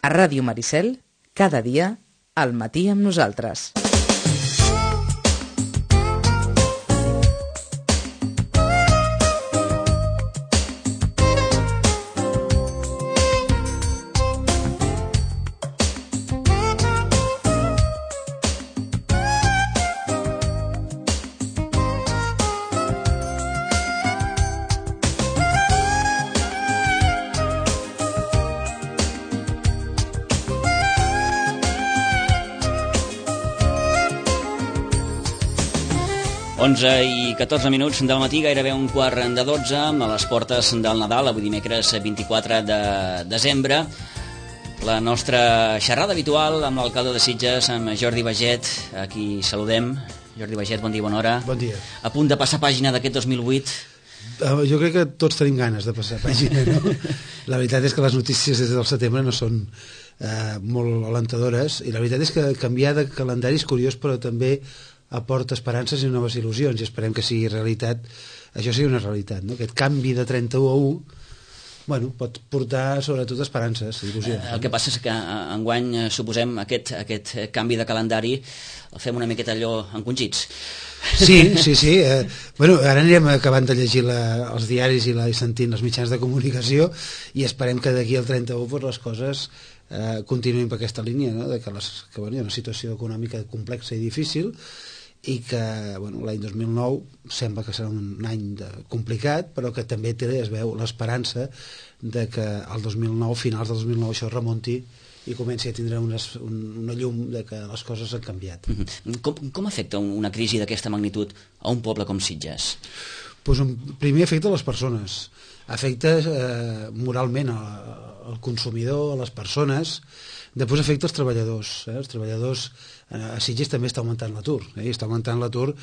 A Ràdio Maricel, cada dia, al matí amb nosaltres. I 14 minuts del matí, gairebé un quart de 12, a les portes del Nadal, avui dimecres 24 de desembre. La nostra xerrada habitual amb l'alcalde de Sitges, amb Jordi Baget, a qui saludem. Jordi Baget, bon dia, bona hora. Bon dia. A punt de passar pàgina d'aquest 2008. Jo crec que tots tenim ganes de passar pàgina, no? La veritat és que les notícies des del setembre no són molt alentadores, i la veritat és que canviar de calendari és curiós, però també aporta esperances i noves il·lusions, i esperem que sigui realitat. Això sigui una realitat, no? Aquest canvi de 31 a 1, bueno, pot portar sobretot esperances i il·lusions. El que passa és que enguany suposem aquest canvi de calendari el fem una miqueta allò encongits. Sí. Bueno, ara anirem acabant de llegir els diaris i sentint els mitjans de comunicació, i esperem que d'aquí al 31 pues, les coses continuïn per aquesta línia, no? De que hi ha una situació econòmica complexa i difícil, i que l'any 2009 sembla que serà un any complicat, però que també es veu l'esperança de que el 2009, finals del 2009, això remunti i comenci a tindre una llum de que les coses han canviat. Com afecta una crisi d'aquesta magnitud a un poble com Sitges? Primer afecta les persones, afecta moralment al consumidor, a les persones. Després afecta els treballadors. Els treballadors a Sitges també està augmentant l'atur. Està augmentant l'atur,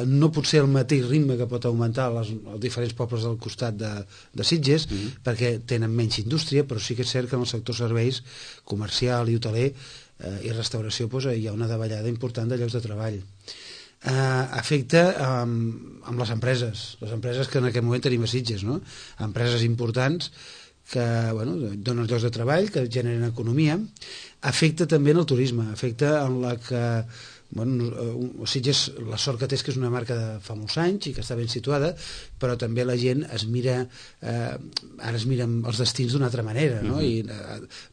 no pot ser el mateix ritme que pot augmentar els diferents pobles del costat de Sitges, perquè tenen menys indústria, però sí que és cert que en el sector serveis, comercial i hoteler i restauració hi ha una davallada important de llocs de treball. Afecta amb les empreses que en aquest moment tenim a Sitges, no? Empreses importants que donen llocs de treball, que generen economia. Afecta també en el turisme, afecta en la que Sitges, la sort que té és que és una marca de fa molts anys i que està ben situada, però també la gent es mira, ara es miren els destins d'una altra manera, no? I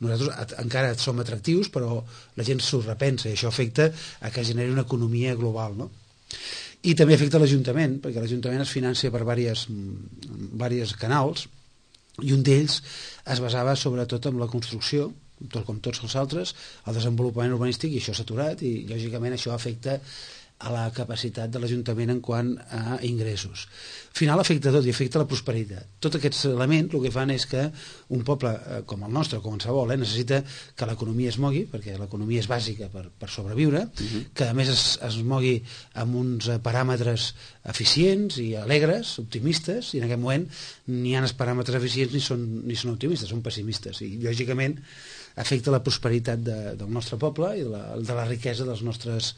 nosaltres encara som atractius, però la gent s'ho repensa, i això afecta a que generi una economia global, no? I també afecta l'Ajuntament, perquè l'Ajuntament es financia per diversos canals, i un d'ells es basava sobretot en la construcció, com tots els altres, el desenvolupament urbanístic, i això s'ha aturat, i lògicament això afecta a la capacitat de l'Ajuntament en quant a ingressos. Al final afecta tot, i afecta la prosperitat. Tots aquests elements el que fan és que un poble com el nostre, com qualsevol, necessita que l'economia es mogui, perquè l'economia és bàsica per sobreviure, que a més es mogui amb uns paràmetres eficients i alegres, optimistes, i en aquest moment ni hi ha els paràmetres eficients ni són optimistes, són pessimistes, i lògicament afecta la prosperitat del nostre poble i de la riquesa dels nostres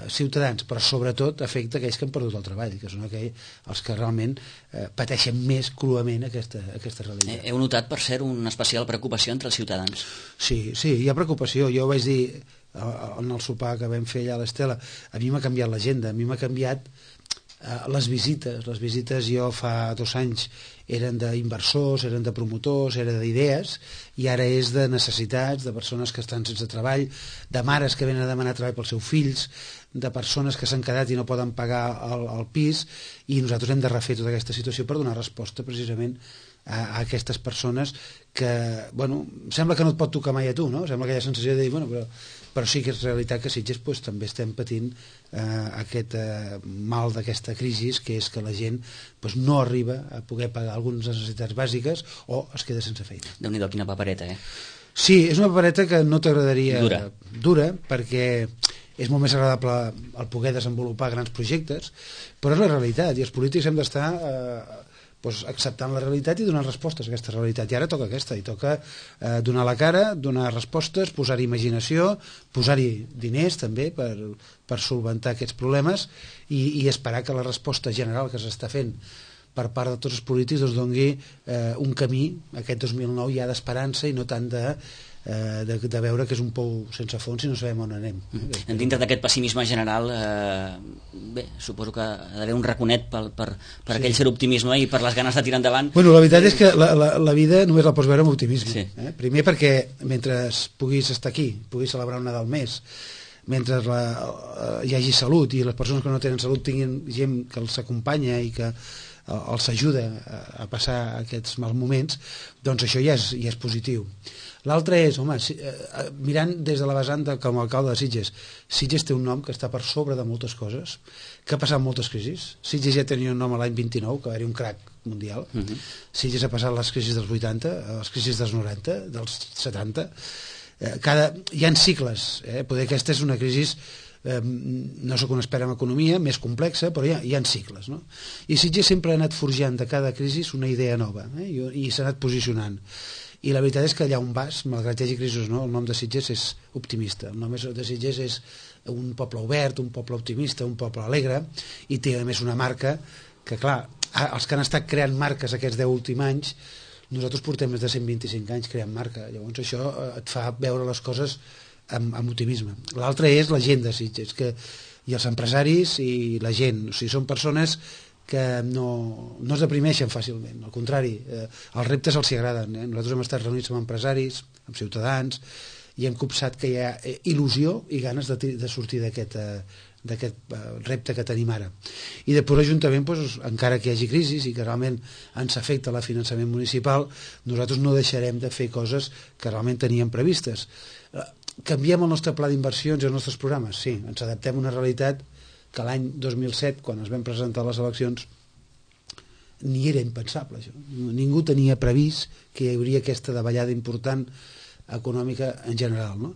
ciutadans, però sobretot afecta aquells que han perdut el treball, que són els que realment pateixen més cruament aquesta realitat. Heu notat, per cert, una especial preocupació entre els ciutadans? Sí, hi ha preocupació. Jo ho vaig dir en el sopar que vam fer allà a l'Estela, a mi m'ha canviat l'agenda, a mi m'ha canviat les visites. Les visites jo fa 2 anys eren d'inversors, eren de promotors, eren d'idees, i ara és de necessitats, de persones que estan sense treball, de mares que venen a demanar treball pels seus fills, de persones que s'han quedat i no poden pagar el pis, i nosaltres hem de refer tota aquesta situació per donar resposta precisament a aquestes persones que, sembla que no et pot tocar mai a tu, no? Sembla aquella sensació de dir, però sí que és realitat que Sitges també estem patint aquest mal d'aquesta crisi, que és que la gent no arriba a poder pagar algunes necessitats bàsiques o es queda sense feina. Déu-n'hi-do, quina papereta, Sí, és una papereta que no t'agradaria... Dura, perquè és molt més agradable el poder desenvolupar grans projectes, però és la realitat, i els polítics hem d'estar acceptant la realitat i donant respostes a aquesta realitat, i ara toca aquesta, i toca donar la cara, donar respostes, posar-hi imaginació, posar-hi diners també per solventar aquests problemes, i esperar que la resposta general que s'està fent per part de tots els polítics doni un camí, aquest 2009 ja d'esperança i no tant de de veure que és un pou sense fons i no sabem on anem. Dintre d'aquest pessimisme general, bé, suposo que ha d'haver un raconet per aquell ser optimisme i per les ganes de tirar endavant. Bueno, la veritat és que la vida només la pots veure amb optimisme. Sí. Primer perquè mentre puguis estar aquí, puguis celebrar un Nadal més, mentre hi hagi salut i les persones que no tenen salut tinguin gent que els acompanya i que els ajuda a passar aquests mals moments, doncs això ja és positiu. L'altre és, home, mirant des de la vessant com a alcalde de Sitges, Sitges té un nom que està per sobre de moltes coses, que ha passat moltes crisis. Sitges ja tenia un nom l'any 29, que era un crac mundial. Sitges ha passat les crisis dels 80, les crisis dels 90, dels 70. Hi ha cicles, poder aquesta és una crisi, no sóc un expert en economia, més complexa, però hi ha cicles, no? I Sitges sempre ha anat forjant de cada crisi una idea nova, i s'ha anat posicionant. I la veritat és que allà on vas, malgrat hi hagi crisis, no, el nom de Sitges és optimista. El nom de Sitges és un poble obert, un poble optimista, un poble alegre, i té a més una marca que, clar, els que han estat creant marques aquests 10 últims anys, nosaltres portem més de 125 anys creant marca, llavors això et fa veure les coses amb optimisme. L'altre és la gent de Sitges, i els empresaris i la gent, o sigui, són persones que no es deprimeixen fàcilment, al contrari, els reptes els hi agraden. Nosaltres hem estat reunits amb empresaris, amb ciutadans, i hem copsat que hi ha il·lusió i ganes de sortir d'aquest repte que tenim ara. I després l'Ajuntament, doncs, encara que hi hagi crisi i que realment ens afecta el finançament municipal, nosaltres no deixarem de fer coses que realment teníem previstes. Canviem el nostre pla d'inversions i els nostres programes? Sí, ens adaptem a una realitat que l'any 2007, quan es van presentar les eleccions, ni era impensable això. Ningú tenia previst que hi hauria aquesta davallada important econòmica en general, no?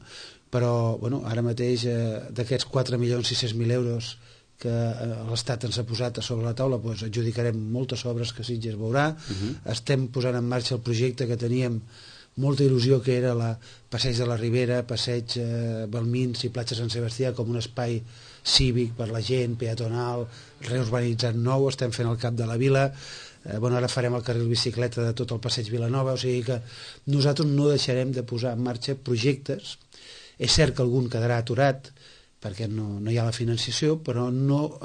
Però bueno, ara mateix d'aquests 4.600.000 euros que l'Estat ens ha posat a sobre la taula, doncs adjudicarem moltes obres que Sitges veurà. Estem posant en marxa el projecte que teníem molta il·lusió, que era la Passeig de la Ribera, Passeig Balmins i Platja Sant Sebastià com un espai cívic per la gent, peatonal, reurbanitzat nou. Estem fent el cap de la vila, ara farem el carril bicicleta de tot el passeig Vilanova, o sigui que nosaltres no deixarem de posar en marxa projectes. És cert que algun quedarà aturat perquè no hi ha la financiació, però no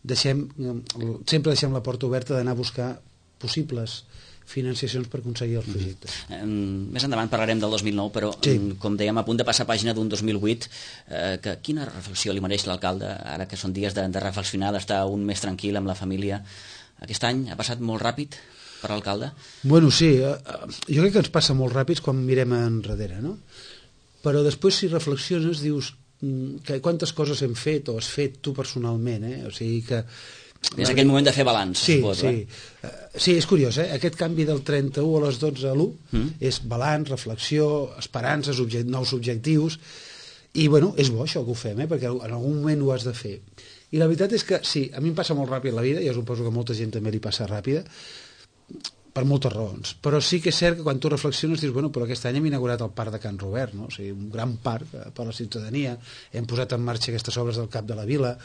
sempre deixem la porta oberta d'anar a buscar possibles financiacions per aconseguir els projectes. Més endavant parlarem del 2009, però com dèiem, a punt de passar pàgina d'un 2008, quina reflexió li mereix l'alcalde, ara que són dies de reflexionar, d'estar un més tranquil amb la família? Aquest any ha passat molt ràpid per l'alcalde? Bueno, sí, jo crec que ens passa molt ràpid quan mirem enrere, no? Però després, si reflexiones, dius que quantes coses hem fet o has fet tu personalment, o sigui que és aquell moment de fer balanç, suposo. Sí, és curiós, aquest canvi del 31 a les 12 a l'1 és balanç, reflexió, esperances, nous objectius, i bueno, és bo això que ho fem, perquè en algun moment ho has de fer. I la veritat és que sí, a mi em passa molt ràpid la vida, i jo suposo que a molta gent també li passa ràpida, per moltes raons, però sí que és cert que quan tu reflexiones dius, bueno, però aquest any hem inaugurat el parc de Can Robert, no? O sigui, un gran parc per a la ciutadania, hem posat en marxa aquestes obres del cap de la vila,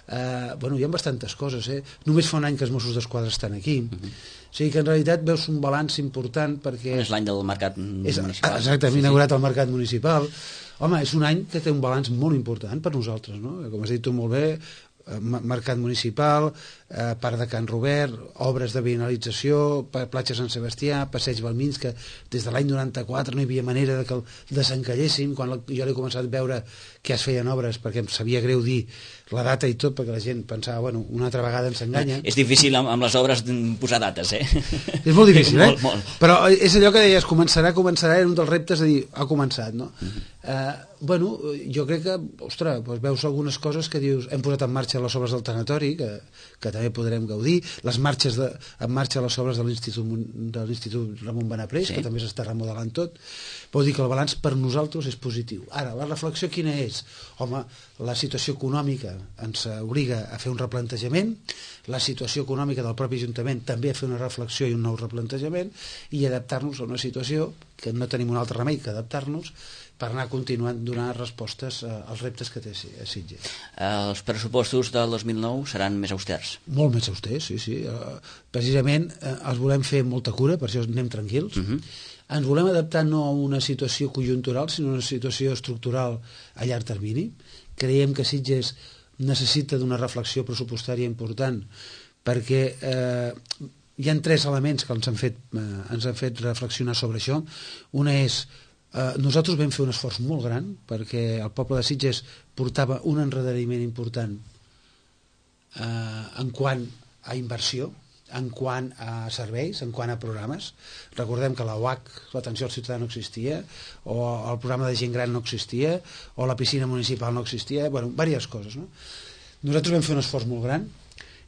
hi ha bastantes coses, només fa un any que els Mossos d'Esquadra estan aquí, o sigui que en realitat veus un balanç important perquè... És l'any del mercat municipal. Exacte, hem inaugurat el mercat municipal. Home, és un any que té un balanç molt important per nosaltres, no? Com has dit tu molt bé, mercat municipal, parc de Can Robert, obres de veïnalització, platja Sant Sebastià, passeig Balmins, que des de l'any 94 no hi havia manera de que el desencalléssim. Quan jo l'he començat a veure que es feien obres, perquè em sabia greu dir la data i tot, perquè la gent pensava, bueno, una altra vegada ens enganya. És difícil amb les obres posar dates, És molt difícil, molt. Però és allò que deies, començarà, era un dels reptes de dir, ha començat, no? Jo crec que, ostres, veus algunes coses que dius, hem posat en marxa les obres del tanatori, que també podrem gaudir, les marxes en marxa les obres de l'Institut Ramon Benaprés, que també s'està remodelant tot. Vol dir que el balanç per nosaltres és positiu. Ara, la reflexió quina és? Home, la situació econòmica ens obliga a fer un replantejament, la situació econòmica del propi Ajuntament també a fer una reflexió i un nou replantejament, i adaptar-nos a una situació que no tenim un altre remei que adaptar-nos per anar continuant donant respostes als reptes que té Sitges. Els pressupostos del 2009 seran més austers? Molt més austers, sí. Precisament els volem fer amb molta cura, per això anem tranquils. ens volem adaptar no a una situació conjuntural, sinó a una situació estructural a llarg termini. Creiem que Sitges necessita d'una reflexió pressupostària important, perquè hi ha 3 elements que ens han fet reflexionar sobre això. Una és, nosaltres vam fer un esforç molt gran, perquè el poble de Sitges portava un endarreriment important en quant a inversió, en quant a serveis, en quant a programes. Recordem que la UAC, l'atenció al ciutadà, no existia, o el programa de gent gran no existia, o la piscina municipal no existia, bueno, diverses coses, no? Nosaltres vam fer un esforç molt gran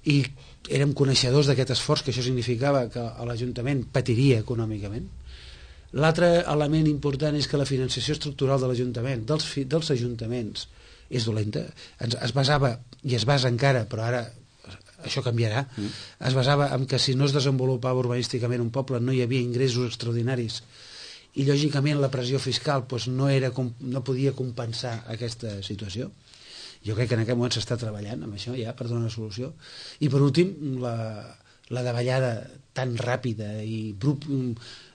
i érem coneixedors d'aquest esforç, que això significava que l'Ajuntament patiria econòmicament. L'altre element important és que la financiació estructural de l'Ajuntament, dels ajuntaments, és dolenta. Es basava, i es basa encara, però ara això canviarà, es basava en que si no es desenvolupava urbanísticament un poble no hi havia ingressos extraordinaris i lògicament la pressió fiscal doncs, no podia compensar aquesta situació. Jo crec que en aquest moment s'està treballant amb això ja per donar una solució. I per últim, la davallada tan ràpida i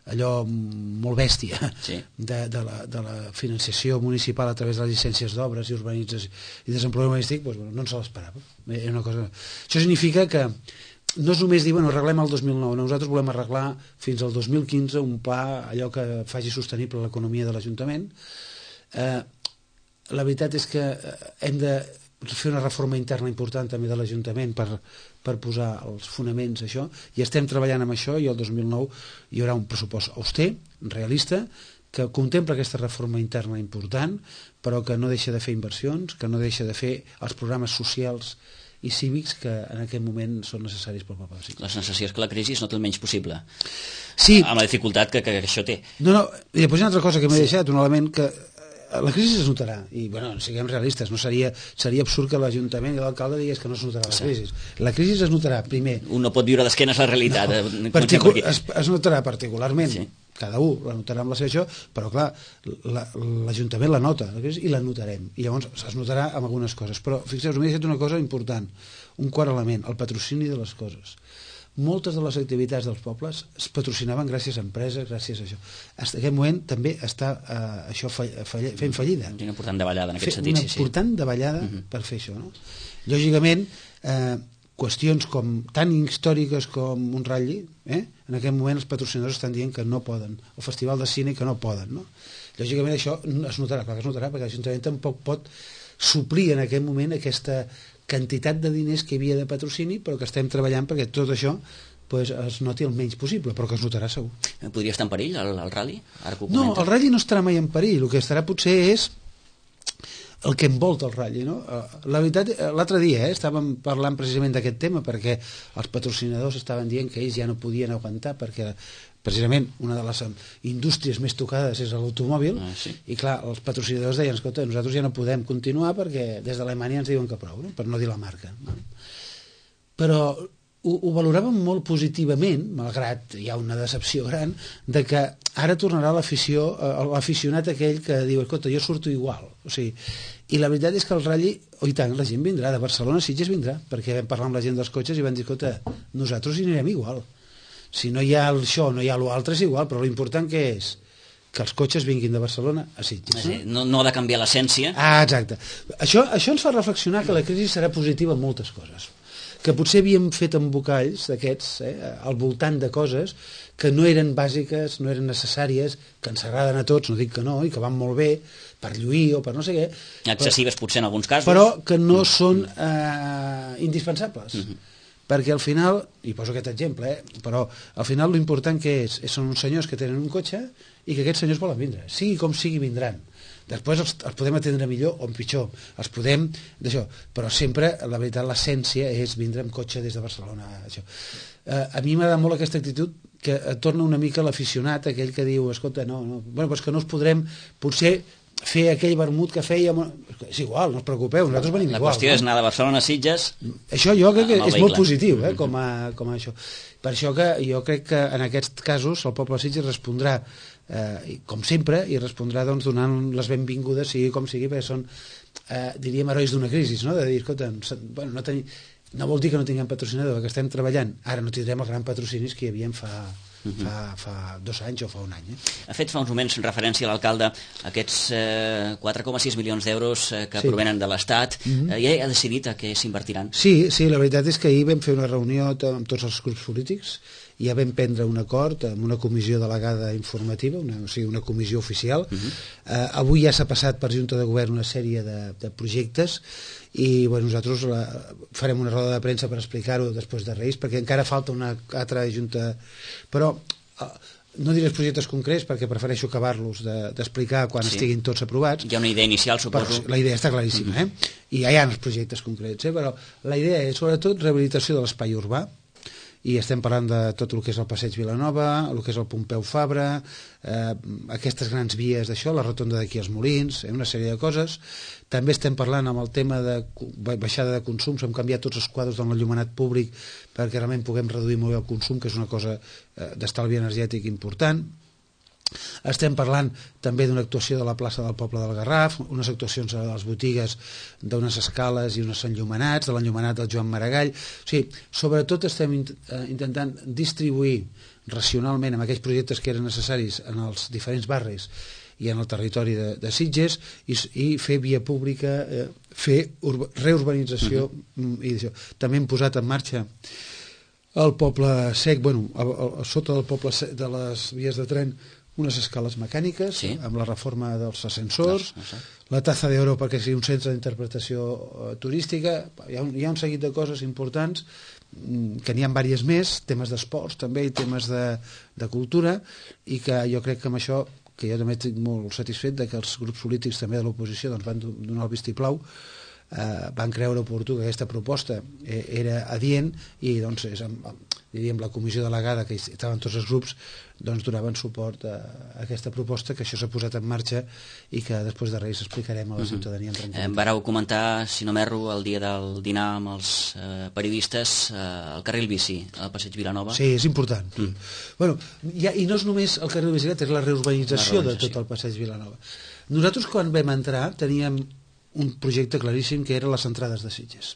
allò molt bèstia de la financiació municipal a través de les llicències d'obres i urbanització i desenvolupament urbanístic, doncs, no ens l'esperava. Això significa que no és només dir, arreglem el 2009, nosaltres volem arreglar fins al 2015 un pla, allò que faci sostenible l'economia de l'Ajuntament. La veritat és que hem de fer una reforma interna important també de l'Ajuntament per posar els fonaments a això, i estem treballant amb això, i el 2009 hi haurà un pressupost auster, realista, que contempla aquesta reforma interna important, però que no deixa de fer inversions, que no deixa de fer els programes socials i cívics que en aquest moment són necessaris pel poble. La sensació és que la crisi és no té el menys possible, sí, amb la dificultat que això té. No, i després hi ha una altra cosa que m'he deixat, un element que la crisi es notarà, i siguem realistes, no seria absurd que l'Ajuntament i l'alcalde digués que no es notarà la crisi. La crisi es notarà, primer. Un no pot viure d'esquenes a la realitat. Es notarà particularment, cada un la notarà amb la seva això, però clar, l'Ajuntament la nota, la crisi, i la notarem, i llavors es notarà amb algunes coses. Però fixeu-vos, m'he deixat una cosa important, un quart element, el patrocini de les coses. Moltes de les activitats dels pobles es patrocinaven gràcies a empreses, gràcies a això. En aquest moment també està això fent fallida. Una important davallada en aquest sentit. Una important davallada per fer això. No? Lògicament, qüestions tan històriques com un ratlli, en aquest moment els patrocinadors estan dient que no poden, el Festival de Cine que no poden. No? Lògicament això es notarà, clar que es notarà, perquè l'Ajuntament tampoc pot suplir en aquest moment aquesta quantitat de diners que hi havia de patrocini, però que estem treballant perquè tot això es noti el menys possible, però que es notarà segur. Podria estar en perill el rally? No, el rally no estarà mai en perill, el que estarà potser és el que envolta el rally, no? La veritat, l'altre dia estàvem parlant precisament d'aquest tema, perquè els patrocinadors estaven dient que ells ja no podien aguantar, perquè precisament una de les indústries més tocades és l'automòbil, i clar, els patrocinadors deien, escolta, nosaltres ja no podem continuar perquè des d'Alemanya ens diuen que prou, no? Per no dir la marca. Però ho valoràvem molt positivament, malgrat hi ha una decepció gran, de que ara tornarà l'aficionat aquell que diu, escolta, jo surto igual. O sigui, i la veritat és que el ratlli, i tant, la gent vindrà, de Barcelona a Sitges vindrà, perquè vam parlar amb la gent dels cotxes i van dir, escolta, nosaltres hi anirem igual. Si no hi ha això, no hi ha l'altre, és igual, però l'important que és que els cotxes vinguin de Barcelona a Sitges. No ha de canviar l'essència. Exacte. Això ens fa reflexionar que la crisi serà positiva en moltes coses, que potser havíem fet embocalls d'aquests, al voltant de coses que no eren bàsiques, no eren necessàries, que ens agraden a tots, no dic que no, i que van molt bé per lluir o per no sé què. Excessives potser en alguns casos. Però que no són indispensables. Perquè al final, i poso aquest exemple, però al final l'important que són uns senyors que tenen un cotxe i que aquests senyors volen vindre. Sigui com sigui, vindran. Després els podem atendre millor o pitjor, els podem d'això, però sempre, la veritat, l'essència és vindre amb cotxe des de Barcelona. Això. A mi m'agrada molt aquesta actitud que torna una mica l'aficionat, aquell que diu, escolta, bueno, doncs que no us podrem potser fer aquell vermut que fèiem, és igual, no us preocupeu, nosaltres venim igual. La qüestió és anar de Barcelona a Sitges. Això jo crec que és molt positiu, com a això. Per això que jo crec que en aquests casos el poble de Sitges respondrà com sempre, i respondrà donant les benvingudes, sigui com sigui, perquè són, diríem, herois d'una crisi, no? De dir, escolta, no vol dir que no tinguem patrocinador, que estem treballant, ara no tindrem els grans patrocinis que hi havia fa fa 2 anys o fa un any. Ha fet fa uns moments referència a l'alcalde a aquests 4,6 milions d'euros que provenen de l'Estat. Ja ha decidit a què s'invertiran? Sí, la veritat és que ahir vam fer una reunió amb tots els grups polítics i ja vam prendre un acord amb una comissió delegada informativa, una comissió oficial. Avui ja s'ha passat per Junta de Govern una sèrie de projectes i nosaltres farem una roda de premsa per explicar-ho després de Reis, perquè encara falta una altra junta, però no diré els projectes concrets perquè prefereixo acabar-los d'explicar quan estiguin tots aprovats. Hi ha una idea inicial, suposo. Però la idea està claríssima, i ja hi ha els projectes concrets, però la idea és sobretot rehabilitació de l'espai urbà, i estem parlant de tot el que és el Passeig Vilanova, el que és el Pompeu Fabra, aquestes grans vies d'això, la rotonda d'aquí als Molins, una sèrie de coses. També estem parlant amb el tema de baixada de consums, hem canviat tots els quadres de l'enllumenat públic perquè realment puguem reduir molt bé el consum, que és una cosa d'estalvi energètic important. Estem parlant també d'una actuació de la plaça del Poble del Garraf, unes actuacions a les botigues d'unes escales i uns enllumenats, de l'enllumenat del Joan Maragall. O sigui, sobretot estem intentant distribuir racionalment amb aquells projectes que eren necessaris en els diferents barris i en el territori de Sitges i fer via pública, fer reurbanització i això. També hem posat en marxa el Poble Sec, sota del Poble Sec, de les vies de tren, unes escales mecàniques, amb la reforma dels ascensors, la Taza d'Oro perquè sigui un centre d'interpretació turística. Hi ha un seguit de coses importants que n'hi ha diverses més, temes d'esports també i temes de cultura, i que jo crec que amb això, que jo també estic molt satisfet de que els grups polítics també de l'oposició van donar el vistiplau, van creure oportú que aquesta proposta era adient i doncs diríem la comissió delegada que estaven tots els grups donaven suport a aquesta proposta, que això s'ha posat en marxa i que després de Reis explicarem a la ciutadania en tranquil·litat. Vareu comentar, si no m'erro, el dia del dinar amb els periodistes el carril bici al Passeig Vilanova. Sí, és important. I no és només el carril bicicleta, és la reurbanització de tot el Passeig Vilanova. Nosaltres quan vam entrar teníem un projecte claríssim que eren les entrades de Sitges.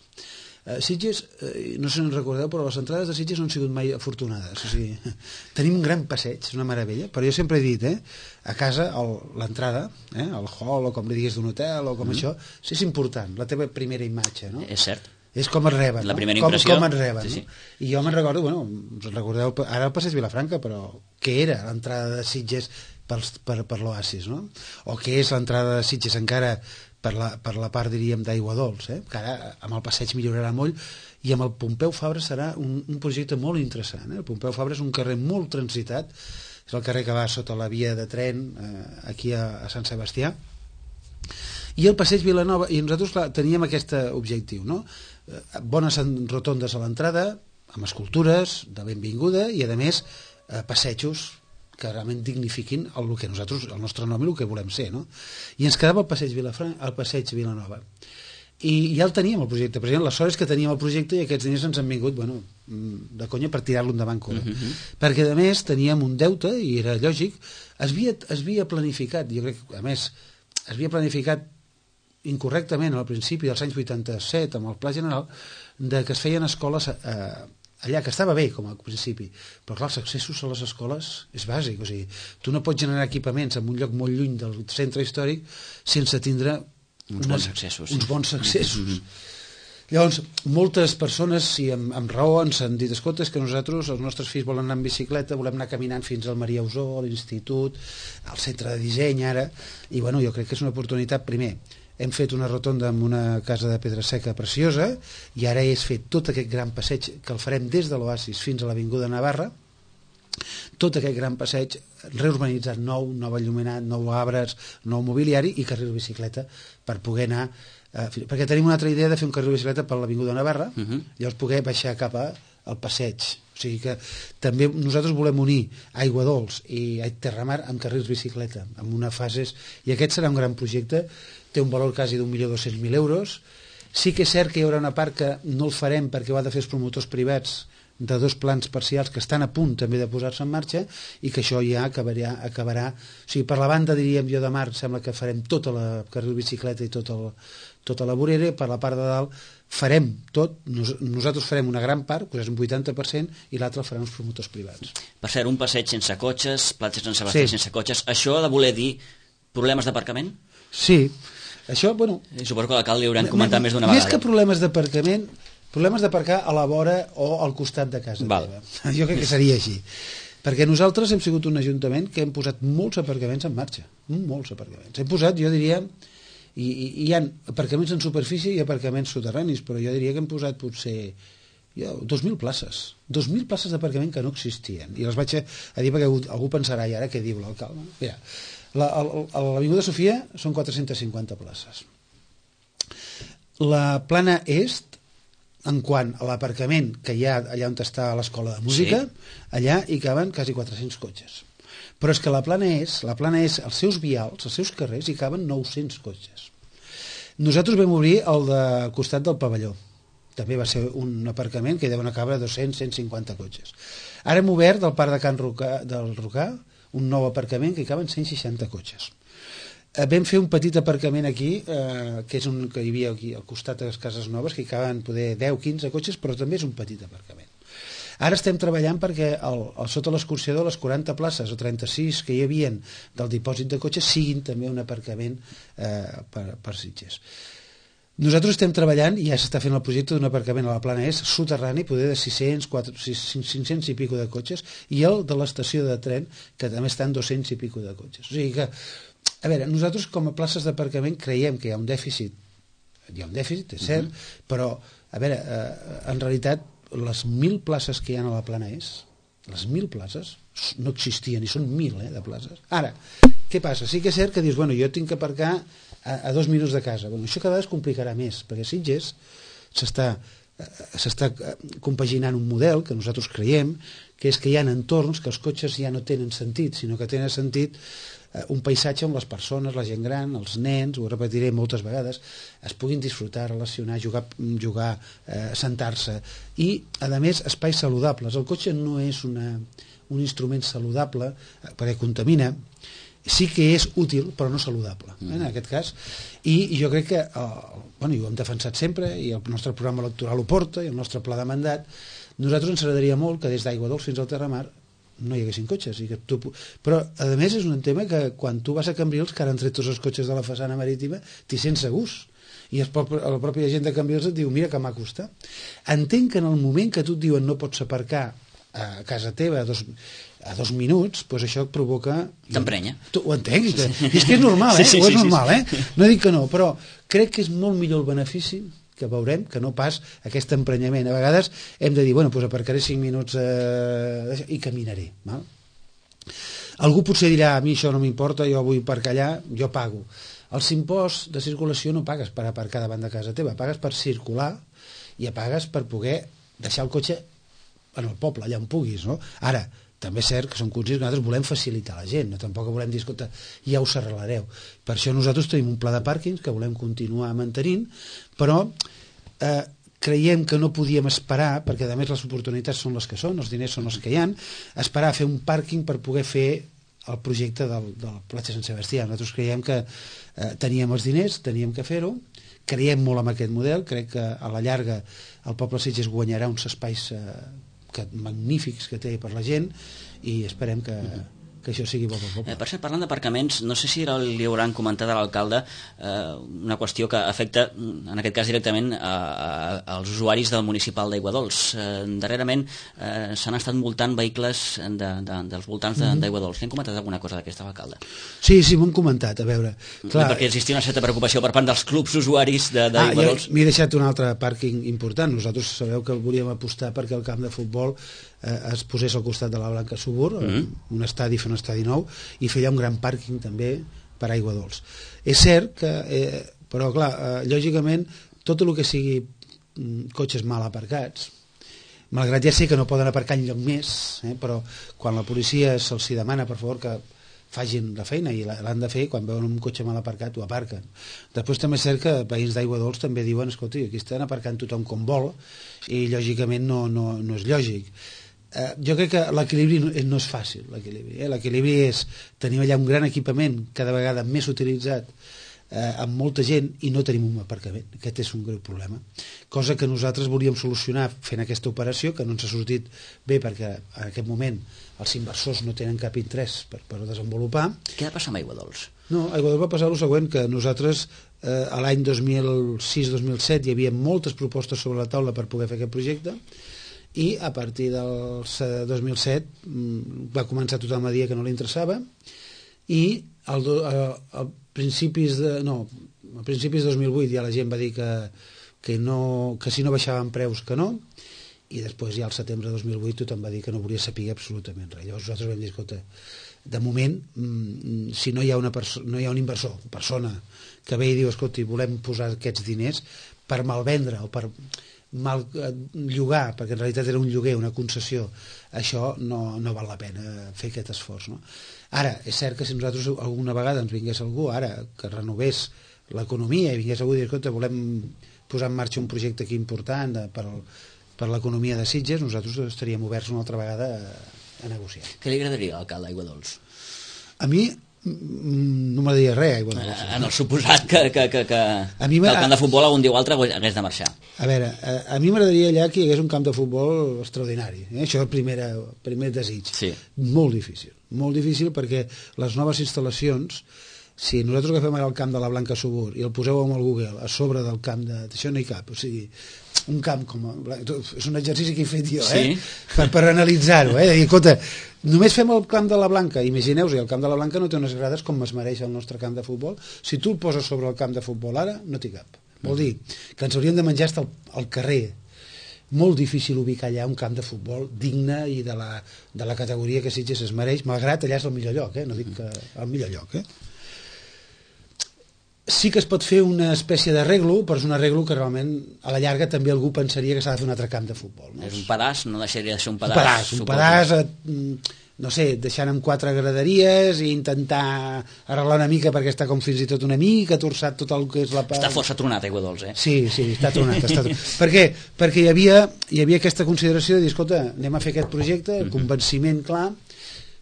Sitges, no sé si en recordeu, però les entrades de Sitges no han sigut mai afortunades. O sigui, tenim un gran passeig, és una meravella, però jo sempre he dit, a casa l'entrada, el hall o com li diguis d'un hotel o com això, és important, la teva primera imatge, no? És cert. És com et reben, la primera impressió. Com et reben, sí. I jo me'n recordo, us recordeu ara el Passeig Vilafranca, però què era l'entrada de Sitges per l'Oasis, no? O què és l'entrada de Sitges encara per la part, diríem, d'Aigua Dols, que ara amb el passeig millorarà molt, i amb el Pompeu Fabra serà un projecte molt interessant. El Pompeu Fabra és un carrer molt transitat, és el carrer que va sota la via de tren aquí a Sant Sebastià, i el passeig Vilanova, i nosaltres teníem aquest objectiu, no? Bones rotondes a l'entrada, amb escultures de benvinguda, i a més passejos que realment dignifiquin el nostre nom i el que volem ser, no? I ens quedava el passeig Vilanova. I ja el teníem, el projecte. President, la sort és que teníem el projecte i aquests diners ens han vingut, de conya per tirar-lo endavant. Perquè, a més, teníem un deute, i era lògic, es havia planificat, jo crec que, a més, es havia planificat incorrectament al principi dels anys 87, amb el Pla General, de que es feien escoles allà, que estava bé com a principi, però clar, els accessos a les escoles és bàsic, o sigui, tu no pots generar equipaments en un lloc molt lluny del centre històric sense tindre uns bons accessos. Llavors, moltes persones, i amb raó, ens han dit, escolta, és que nosaltres, els nostres fills volen anar en bicicleta, volem anar caminant fins al Maria Usó, a l'institut, al centre de disseny ara, i jo crec que és una oportunitat. Primer, hem fet una rotonda amb una casa de pedra seca preciosa, i ara és fet tot aquest gran passeig que el farem des de l'Oasis fins a l'Avinguda Navarra, tot aquest gran passeig reurbanitzat nou enllumenat, nou arbres, nou mobiliari i carril bicicleta per poder anar, perquè tenim una altra idea de fer un carril bicicleta per l'Avinguda Navarra, llavors poder baixar cap al passeig. O sigui que també nosaltres volem unir Aigua Dols i Terramar amb carrils bicicleta, amb una fases, i aquest serà un gran projecte, té un valor quasi d'1.200.000 euros. Sí que és cert que hi haurà una part que no el farem perquè ho han de fer els promotors privats de 2 plans parcials que estan a punt també de posar-se en marxa i que això ja acabarà, o sigui, per la banda, diríem jo, de mar, sembla que farem tota la carril bicicleta i tota la vorera, per la part de dalt farem tot, nosaltres farem una gran part, que és un 80%, i l'altre el faran els promotors privats. Per cert, un passeig sense cotxes, platges sense Sebastià sense cotxes, això ha de voler dir problemes d'aparcament? Sí, això, bueno... Suposo que l'alcalde li hauran comentat més d'una vegada. Més que problemes d'aparcament, problemes d'aparcar a la vora o al costat de casa teva. Jo crec que seria així. Perquè nosaltres hem sigut un ajuntament que hem posat molts aparcaments en marxa. Molts aparcaments. Hem posat, jo diria... I hi ha aparcaments en superfície i aparcaments soterranis, però jo diria que hem posat potser 2.000 places. 2.000 places d'aparcament que no existien. I les vaig a dir perquè algú pensarà, i ara què diu l'alcalde? Mira, a l'Avinguda Sofia són 450 places. La plana est, en quant a l'aparcament que hi ha allà on està l'escola de música, allà hi caben quasi 400 cotxes. Però és que la plana és, els seus vials, els seus carrers, hi caben 900 cotxes. Nosaltres vam obrir el de costat del pavelló. També va ser un aparcament que deuen acabar 200-150 cotxes. Ara hem obert del parc de Can del Rocà un nou aparcament que hi caben 160 cotxes. Vam fer un petit aparcament aquí, que és un que hi havia aquí al costat de les cases noves, que hi caben poder 10-15 cotxes, però també és un petit aparcament. Ara estem treballant perquè sota l'escorxador les 40 places o 36 que hi havia del dipòsit de cotxes siguin també un aparcament per Sitges. Nosaltres estem treballant, i ja s'està fent el projecte d'un aparcament a la plana est soterrani, poder de 600, 500 i pico de cotxes, i el de l'estació de tren, que també estan 200 i pico de cotxes. O sigui que, a veure, nosaltres com a places d'aparcament creiem que hi ha un dèficit, és cert, però, a veure, en realitat, les 1.000 places que hi ha a la plana est, les 1.000 places no existien, i són 1.000 de places. Ara, què passa? Sí que és cert que dius, bueno, jo tinc que aparcar a 2 minuts de casa. Bueno, això cada vegada es complicarà més, perquè a Sitges s'està compaginant un model que nosaltres creiem, que és que hi ha entorns que els cotxes ja no tenen sentit, sinó que tenen sentit un paisatge on les persones, la gent gran, els nens, ho repetiré moltes vegades, es puguin disfrutar, relacionar, jugar, sentar-se, i, a més, espais saludables. El cotxe no és un instrument saludable, perquè contamina, sí que és útil, però no saludable, en aquest cas, i jo crec que, bueno, i ho hem defensat sempre, i el nostre programa electoral ho porta, i el nostre pla de mandat, nosaltres ens agradaria molt que des d'Aigua Dols fins al Terramar no hi haguessin cotxes. Però, a més, és un tema que quan tu vas a Cambrils, que ara han tret tots els cotxes de la façana marítima, t'hi sents segurs. I la pròpia gent de Cambrils et diu, mira que maco està. Entenc que en el moment que tu et diuen no pots aparcar a casa teva a 2 minuts, doncs això et provoca... T'emprenya. Ho entenc. És que és normal, és normal, No dic que no, però crec que és molt millor el benefici que veurem, que no pas aquest emprenyament. A vegades hem de dir, bueno, doncs aparcaré 5 minuts i caminaré. Val? Algú potser dirà, a mi això no m'importa, jo vull aparcar allà, jo pago. Els imposts de circulació no pagues per aparcar davant de casa teva, pagues per circular i pagues per poder deixar el cotxe en el poble, allà on puguis, no? Ara, també és cert que som conscients que nosaltres volem facilitar a la gent, no? Tampoc volem dir, escolta, ja us arreglareu. Per això nosaltres tenim un pla de pàrquings que volem continuar mantenint, però creiem que no podíem esperar, perquè a més les oportunitats són les que són, els diners són els que hi ha, esperar a fer un pàrquing per poder fer el projecte del platja Sant Sebastià. Nosaltres creiem que teníem els diners, teníem que fer-ho, creiem molt en aquest model, crec que a la llarga el poble Sitges guanyarà uns espais magnífics que té per la gent i esperem que això sigui bo pel poble. Per cert, parlant d'aparcaments, no sé si li hauran comentat a l'alcalde una qüestió que afecta, en aquest cas directament, als usuaris del municipal d'Aigua Dols. Darrerament s'han estat multant vehicles dels voltants d'Aigua Dols. Li han comentat alguna cosa d'aquesta, l'alcalde? Sí, m'ho han comentat, a veure. Perquè existia una certa preocupació per part dels clubs usuaris d'Aigua Dols. M'he deixat un altre pàrquing important. Nosaltres sabeu que volíem apostar perquè el camp de futbol es posés al costat de la Blanca Subur, un estadi, fer un estadi nou, i fer allà un gran pàrquing també per Aigua Dols. És cert que, però clar, lògicament, tot el que sigui cotxes mal aparcats, malgrat ja sé que no poden aparcar enlloc més, però quan la policia se'ls demana, per favor, que facin la feina i l'han de fer, quan veuen un cotxe mal aparcat ho aparquen. Després també és cert que veïns d'Aigua Dols també diuen, escolta, aquí estan aparcant tothom com vol i lògicament no és lògic. Jo crec que l'equilibri no és fàcil, l'equilibri és tenir allà un gran equipament cada vegada més utilitzat amb molta gent i no tenim un aparcament. Aquest és un greu problema, cosa que nosaltres volíem solucionar fent aquesta operació, que no ens ha sortit bé perquè en aquest moment els inversors no tenen cap interès per desenvolupar. Què ha de passar amb Aigua Dols? No, Aigua Dols va passar el següent, que nosaltres a l'any 2006-2007 hi havia moltes propostes sobre la taula per poder fer aquest projecte i a partir del 2007 va començar tothom a dir que no li interessava i a principis de 2008 ja la gent va dir que si no baixaven preus que no, i després ja al setembre de 2008 tothom va dir que no volia saber absolutament res. Llavors nosaltres vam dir, escolta, de moment si no hi ha un inversor, persona que ve i diu, escolta, volem posar aquests diners per malvendre o per mal llogar, perquè en realitat era un lloguer, una concessió, això no val la pena fer aquest esforç, no? Ara, és cert que si nosaltres alguna vegada ens vingués algú ara que renovés l'economia i vingués algú i dir, escolta, volem posar en marxa un projecte aquí important per l'economia de Sitges, nosaltres estaríem oberts una altra vegada a negociar. Què li agradaria a l'alcalde d'Aigua Dols? A mi no m'agradaria res, Aigua Dols. En el suposat que el camp de futbol algun dia o altre hagués de marxar. A veure, a mi m'agradaria allà que hi hagués un camp de futbol extraordinari. Això és el primer desig. Sí. Molt difícil perquè les noves instal·lacions, si nosaltres agafem ara el camp de la Blanca Subur i el poseu amb el Google a sobre del camp d'això no hi cap, o sigui, un camp com és un exercici que he fet jo, sí. per analitzar-ho, de dir, escolta, només fem el camp de la Blanca, imagineu-vos, el camp de la Blanca no té unes grades com es mereix el nostre camp de futbol, si tu el poses sobre el camp de futbol ara, no t'hi cap. Vol dir que ens hauríem de menjar al carrer. Molt difícil ubicar allà un camp de futbol digne i de la categoria que Sitges es mereix, malgrat allà és el millor lloc, no dic que el millor lloc, Sí que es pot fer una espècie d'arreglo, però és un arreglo que realment a la llarga també algú pensaria que s'ha de fer un altre camp de futbol. No? És un pedaç, no deixaria de ser un pedaç. Un pedaç, no sé, deixant amb 4 graderies i intentar arreglar una mica perquè està com fins i tot una mica torçat tot el que és la part... Està força tronat, Aigua Dols, Sí, està tronat. Per què? Perquè hi havia aquesta consideració de dir, escolta, anem a fer aquest projecte, convenciment clar,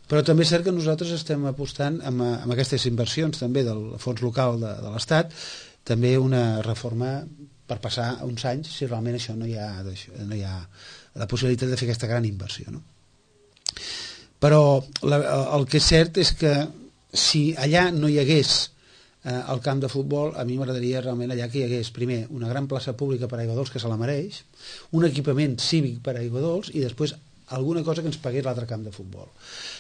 però també és cert que nosaltres estem apostant amb aquestes inversions també del fons local de l'Estat, també una reforma per passar uns anys si realment això no hi ha la possibilitat de fer aquesta gran inversió, no? Però el que és cert és que si allà no hi hagués el camp de futbol, a mi m'agradaria realment allà que hi hagués primer una gran plaça pública per a Aigua Dols que se la mereix, un equipament cívic per a Aigua Dols i després alguna cosa que ens pagués l'altre camp de futbol,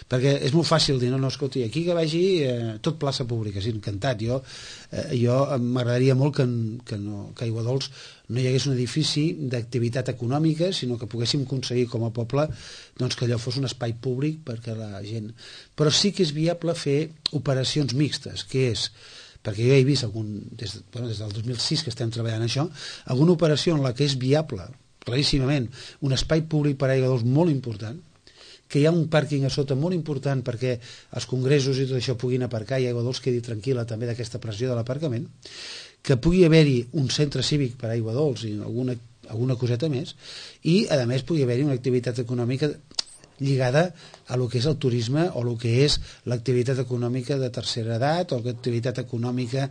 perquè és molt fàcil dir, no, escolti, aquí que vagi tot plaça pública, sí, encantat, jo m'agradaria molt que a Aigua Dols no hi hagués un edifici d'activitat econòmica, sinó que poguéssim aconseguir com a poble doncs, que allò fos un espai públic perquè la gent... Però sí que és viable fer operacions mixtes, que és, perquè jo he vist des del 2006 que estem treballant això, alguna operació en la que és viable claríssimament, un espai públic per a Aigua Dols molt important, que hi ha un pàrquing a sota molt important perquè els congressos i tot això puguin aparcar i Aigua Dols quedi tranquil·la també d'aquesta pressió de l'aparcament, que pugui haver-hi un centre cívic per a Aigua Dols i alguna coseta més, i a més pugui haver-hi una activitat econòmica lligada a lo que és el turisme o el que és l'activitat econòmica de tercera edat o l'activitat econòmica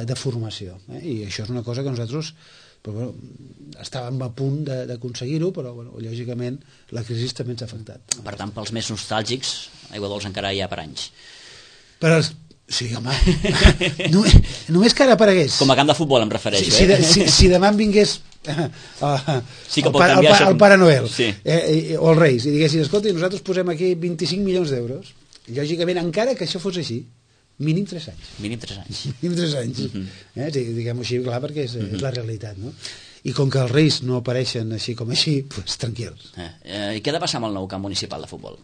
de formació. I això és una cosa que nosaltres estàvem a punt d'aconseguir-ho, però lògicament la crisi també ens ha afectat. Per tant, pels més nostàlgics, Aigua Dols encara hi ha per anys. Però sí, home, només que ara aparegués. Com a camp de futbol em refereixo. Si demà em vingués el Pare Noel o els Reis i diguessin, escolta, nosaltres posem aquí 25 milions d'euros, lògicament, encara que això fos així, mínim 3 anys. Mínim 3 anys. Mínim 3 anys. Diguem-ho així, clar, perquè és la realitat, no? I com que els Reis no apareixen així com així, doncs tranquils. I què ha de passar amb el nou camp municipal de futbol?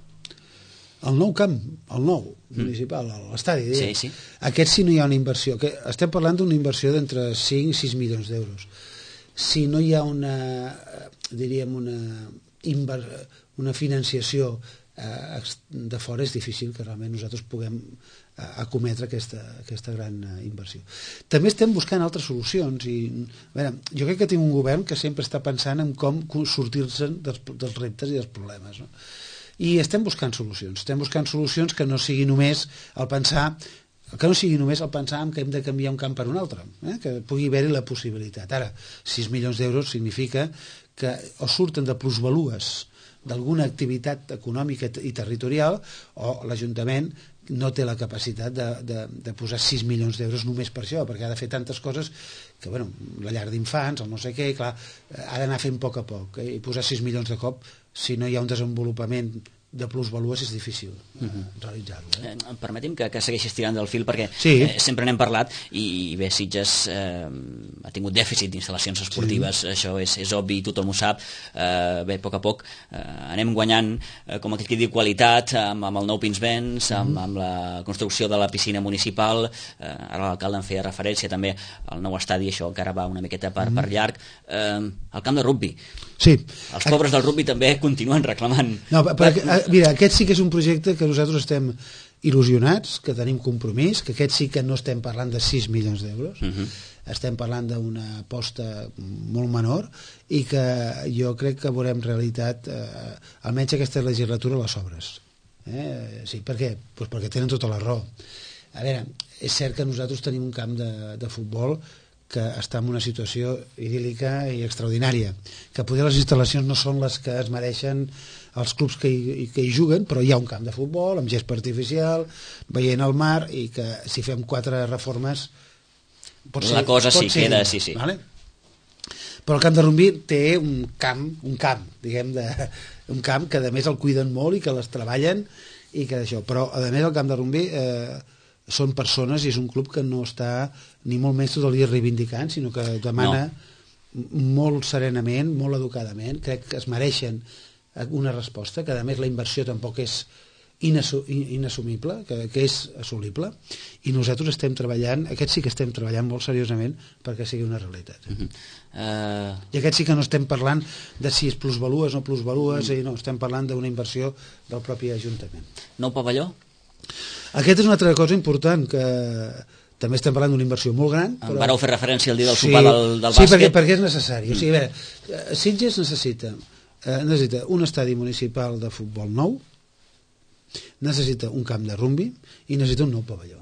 El nou camp, el nou municipal, l'estadi, sí. Aquest sí no hi ha una inversió. Estem parlant d'una inversió d'entre 5 i 6 milions d'euros. Si no hi ha una financiació de fora és difícil que realment nosaltres puguem acometre aquesta gran inversió. També estem buscant altres solucions i a veure, jo crec que tinc un govern que sempre està pensant en com sortir-se'n dels reptes i dels problemes, no? I estem buscant solucions que no sigui només el pensar en que hem de canviar un camp per un altre, que pugui haver-hi la possibilitat. Ara, 6 milions d'euros significa que o surten de plusvalues d'alguna activitat econòmica i territorial o l'Ajuntament no té la capacitat de posar 6 milions d'euros només per això, perquè ha de fer tantes coses que, bueno, la llar d'infants, el no sé què, clar, ha d'anar fent a poc, i posar 6 milions de cop, si no hi ha un desenvolupament de plusvalues és difícil realitzar-ho. Permeti'm que segueixis tirant del fil perquè sempre n'hem parlat i bé, Sitges ha tingut dèficit d'instal·lacions esportives, això és obvi, tothom ho sap. Bé, a poc anem guanyant, com aquell que diu, qualitat amb el nou Pinsbens, amb la construcció de la piscina municipal, ara l'alcalde en feia referència també al nou estadi, això encara va una miqueta per llarg. El camp de rugbi, els pobres del rugbi també continuen reclamant. Mira, aquest sí que és un projecte que nosaltres estem il·lusionats, que tenim compromís, que aquest sí que no estem parlant de 6 milions d'euros, estem parlant d'una aposta molt menor i que jo crec que veurem realitat almenys aquesta legislatura les obres. Sí, per què? Pues perquè tenen tota la raó. A veure, és cert que nosaltres tenim un camp de futbol que està en una situació idíl·lica i extraordinària, que poder les instal·lacions no són les que es mereixen els clubs que hi juguen, però hi ha un camp de futbol amb gespa artificial, veient el mar, i que si fem 4 reformes la cosa sí queda, sí. Vale? Però el camp de rugbi té un camp, diguem, un camp que a més el cuiden molt i que les treballen i que d'això, però a més el camp de rugbi són persones i és un club que no està ni molt menys tot el dia reivindicant, sinó que demana molt serenament, molt educadament, crec que es mereixen una resposta, que a més la inversió tampoc és inassumible, que és assolible, i nosaltres estem treballant, aquest sí que estem treballant molt seriosament perquè sigui una realitat. I aquest sí que no estem parlant de si és plusvalues o no plusvalues, no, estem parlant d'una inversió del propi Ajuntament. Nou pavelló? Aquest és una altra cosa important, que també estem parlant d'una inversió molt gran. Però... Vareu fer referència al dia del sopar del bàsquet? Sí, perquè és necessari. O sigui, a veure, Sitges necessita un estadi municipal de futbol nou, necessita un camp de rugbi i necessita un nou pavelló.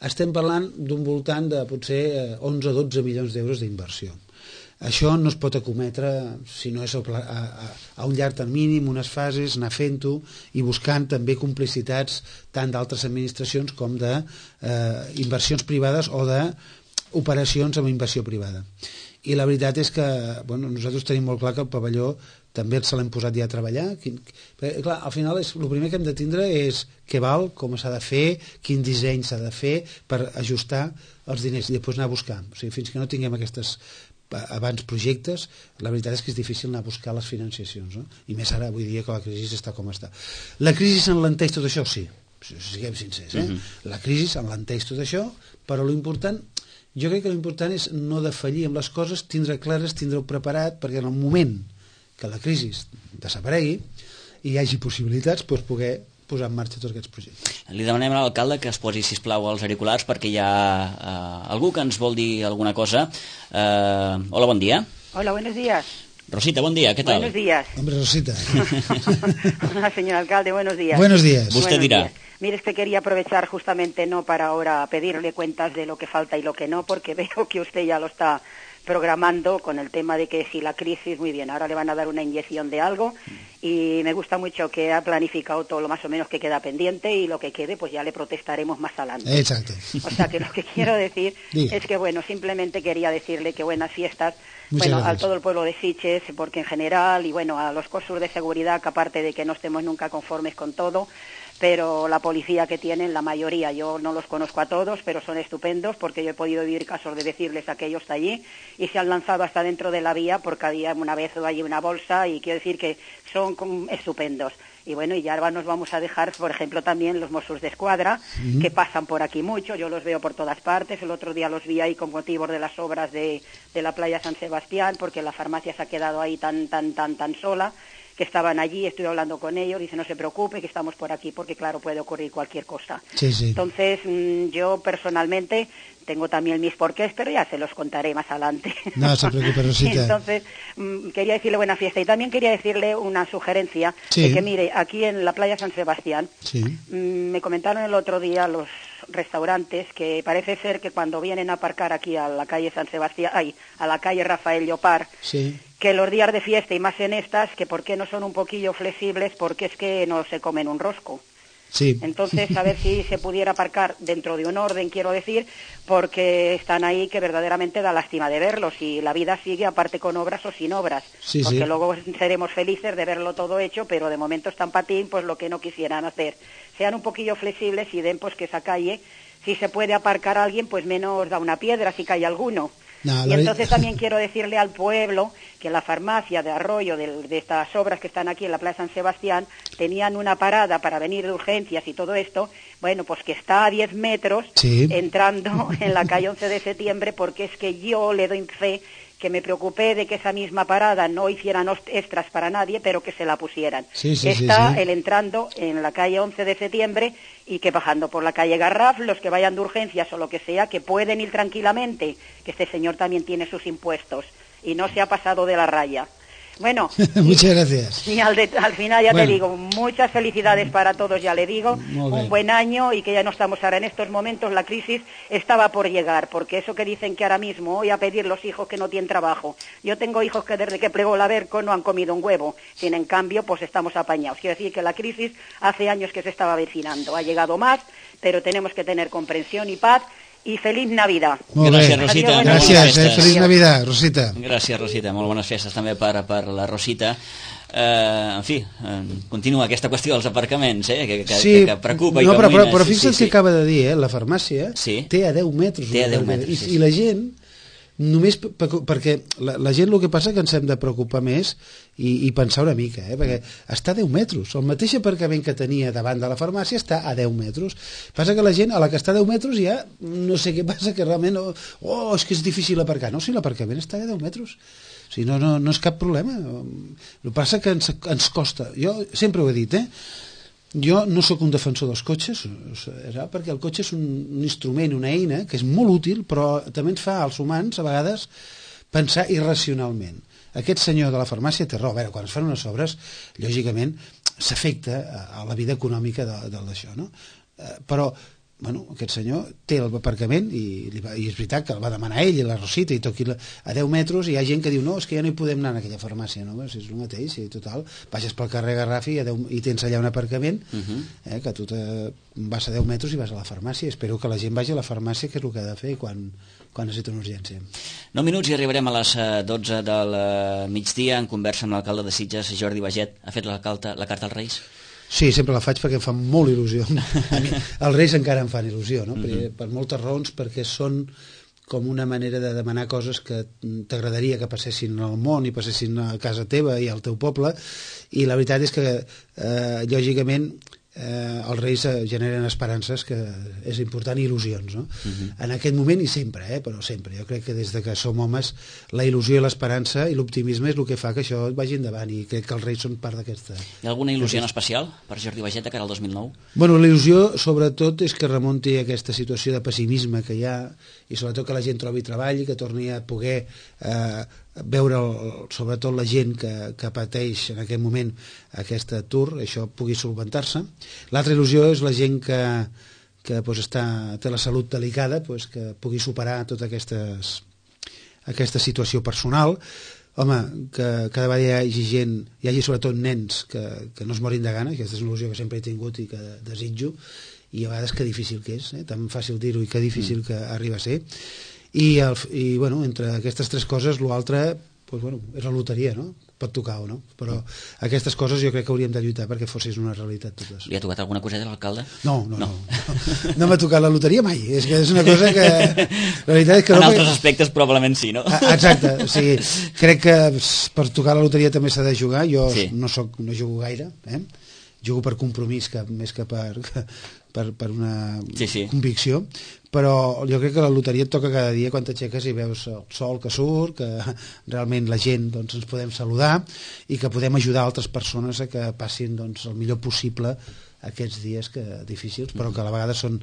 Estem parlant d'un voltant de potser 11 o 12 milions d'euros d'inversió. Això no es pot acometre si no és a un llarg termini, en unes fases, anar fent-ho i buscant també complicitats tant d'altres administracions com d'inversions privades o d'operacions amb inversió privada. I la veritat és que nosaltres tenim molt clar que el pavelló també se l'hem posat ja a treballar. Clar, al final el primer que hem de tindre és què val, com s'ha de fer, quin disseny s'ha de fer per ajustar els diners i després anar a buscar. O sigui, fins que no tinguem aquestes abans projectes, la veritat és que és difícil anar a buscar les financiacions, no? I més ara, avui dia, que la crisi està com està. La crisi s'enlenteix tot això, sí, siguem sincers, La crisi s'enlenteix tot això, però jo crec que l'important és no defallir amb les coses, tindre clares, tindre-ho preparat, perquè en el moment que la crisi desaparegui i hi hagi possibilitats, poder posar en marxa tots aquests projectes. Li demanem a l'alcalde que es posi, sisplau, els auriculars perquè hi ha algú que ens vol dir alguna cosa. Hola, bon dia. Hola, buenos días. Rosita, buen día, ¿qué tal? Buenos días. Hombre, Rosita. Hola, señor alcalde, buenos días. Buenos días. Usted dirá. Mire, es que quería aprovechar justamente no para ahora pedirle cuentas de lo que falta y lo que no, porque veo que usted ya lo está programando con el tema de que si la crisis, muy bien, ahora le van a dar una inyección de algo y me gusta mucho que ha planificado todo lo más o menos que queda pendiente y lo que quede pues ya le protestaremos más adelante. Exacto. O sea que lo que quiero decir es que simplemente quería decirle que buenas fiestas a todo el pueblo de Sitges, porque en general y a los cursos de seguridad, que aparte de que no estemos nunca conformes con todo, pero la policía que tienen, la mayoría, yo no los conozco a todos, pero son estupendos, porque yo he podido vivir casos de decirles a aquellos de allí, y se han lanzado hasta dentro de la vía, porque había una vez allí una bolsa, y quiero decir que son estupendos. Y y ya nos vamos a dejar, por ejemplo, también los Mossos de Escuadra, que pasan por aquí mucho, yo los veo por todas partes, el otro día los vi ahí con motivo de las obras de la playa San Sebastián, porque la farmacia se ha quedado ahí tan sola, que estaban allí, estuve hablando con ellos, dice no se preocupe que estamos por aquí porque claro puede ocurrir cualquier cosa. Sí, sí. Entonces yo personalmente tengo también mis porqués, pero ya se los contaré más adelante. No se preocupe, Rosita. Entonces quería decirle buena fiesta y también quería decirle una sugerencia de que mire, aquí en la playa San Sebastián me comentaron el otro día los restaurantes que parece ser que cuando vienen a aparcar aquí a la calle San Sebastián, a la calle Rafael Llopart, que los días de fiesta y más en estas, que por qué no son un poquillo flexibles, porque es que no se comen un rosco. Sí. Entonces, a ver si se pudiera aparcar dentro de un orden, quiero decir, porque están ahí que verdaderamente da lástima de verlos y la vida sigue aparte con obras o sin obras, porque luego seremos felices de verlo todo hecho, pero de momento están patín, pues lo que no quisieran hacer. Sean un poquillo flexibles y den pues que esa calle, si se puede aparcar a alguien, pues menos da una piedra si cae alguno. No, y entonces también quiero decirle al pueblo que la farmacia de Arroyo, de estas obras que están aquí en la Plaza San Sebastián, tenían una parada para venir de urgencias y todo esto, bueno, pues que está a 10 metros entrando en la calle 11 de septiembre, porque es que yo le doy fe que me preocupé de que esa misma parada no hicieran extras para nadie, pero que se la pusieran. El entrando en la calle 11 de septiembre y que bajando por la calle Garraf, los que vayan de urgencias o lo que sea, que pueden ir tranquilamente, que este señor también tiene sus impuestos y no se ha pasado de la raya. Bueno, muchas gracias. Y al final ya te digo, muchas felicidades para todos, ya le digo, un buen año y que ya no estamos ahora en estos momentos, la crisis estaba por llegar, porque eso que dicen que ahora mismo hoy a pedir los hijos que no tienen trabajo. Yo tengo hijos que desde que plegó la Berco no han comido un huevo, sin en cambio pues estamos apañados. Quiero decir que la crisis hace años que se estaba avecinando, ha llegado más, pero tenemos que tener comprensión y paz. I feliç Navidad. Gràcies, Rosita. Gràcies, feliç Navidad, Rosita. Gràcies, Rosita. Molt bones festes també per la Rosita. En fi, continua aquesta qüestió dels aparcaments, que preocupa. No, però fixa't que acaba de dir, la farmàcia té a 10 metres. Té a 10 metres, I la gent, només perquè la gent el que passa que ens hem de preocupar més i pensar una mica, perquè està a 10 metres, el mateix aparcament que tenia davant de la farmàcia està a 10 metres, passa que la gent a la que està a 10 metres ja no sé què passa, que realment és que és difícil aparcar, no, si l'aparcament està a 10 metres, o sigui, no és cap problema, el que passa que ens costa, jo sempre ho he dit, jo no sóc un defensor dels cotxes, perquè el cotxe és un instrument, una eina que és molt útil, però també ens fa als humans a vegades pensar irracionalment. Aquest senyor de la farmàcia té raó. A veure, quan es fan unes obres, lògicament s'afecta a la vida econòmica d'això, no? Però aquest senyor té l'aparcament i és veritat que el va demanar ell i la Rosita i toqui a 10 metres i hi ha gent que diu no, és que ja no hi podem anar en aquella farmàcia, no? Si és el mateix, i total, baixes pel carrer Garraf i tens allà un aparcament que tu vas a 10 metres i vas a la farmàcia. Espero que la gent vagi a la farmàcia, que és el que ha de fer quan necessita una urgència. 9 minuts i arribarem a les 12 del migdia en conversa amb l'alcalde de Sitges, Jordi Baget. Ha fet la carta als Reis? Sí, sempre la faig perquè em fa molt il·lusió. Els Reis encara em fan il·lusió, no? Per moltes raons, perquè són com una manera de demanar coses que t'agradaria que passessin al món i passessin a casa teva i al teu poble, i la veritat és que, lògicament, els Reis generen esperances, que és important, i il·lusions, no? En aquest moment i sempre, però sempre. Jo crec que des de que som homes la il·lusió i l'esperança i l'optimisme és el que fa que això vagi endavant, i crec que els Reis són part d'aquesta. Hi ha alguna il·lusió en especial per Jordi Baget de cara al 2009? Bueno, la il·lusió sobretot és que remunti aquesta situació de pessimisme que hi ha, i sobretot que la gent trobi treball i que torni a poder veure sobretot la gent que pateix en aquest moment aquest atur, això pugui solventar-se. L'altra il·lusió és la gent que té la salut delicada, que pugui superar tota aquesta situació personal. Home, que cada vegada hi hagi sobretot nens que no es morin de gana, aquesta és una il·lusió que sempre he tingut i que desitjo, i a vegades que difícil que és, tan fàcil dir-ho i que difícil que arriba a ser. I entre aquestes tres coses l'altre és la loteria, no? Pot tocar o no, però aquestes coses jo crec que hauríem de lluitar perquè fossin una realitat totes. Li ha tocat alguna coseta a l'alcalde? No m'ha tocat la loteria mai, és que és una cosa que la veritat és que en altres aspectes probablement sí, no? Exacte, o sigui, crec que per tocar la loteria també s'ha de jugar. Jo no jugo gaire, jugo per compromís més que per una convicció, però jo crec que la loteria et toca cada dia quan t'aixeques i veus el sol que surt, que realment la gent doncs, ens podem saludar i que podem ajudar altres persones a que passin doncs, el millor possible aquests dies difícils, però que a la vegada són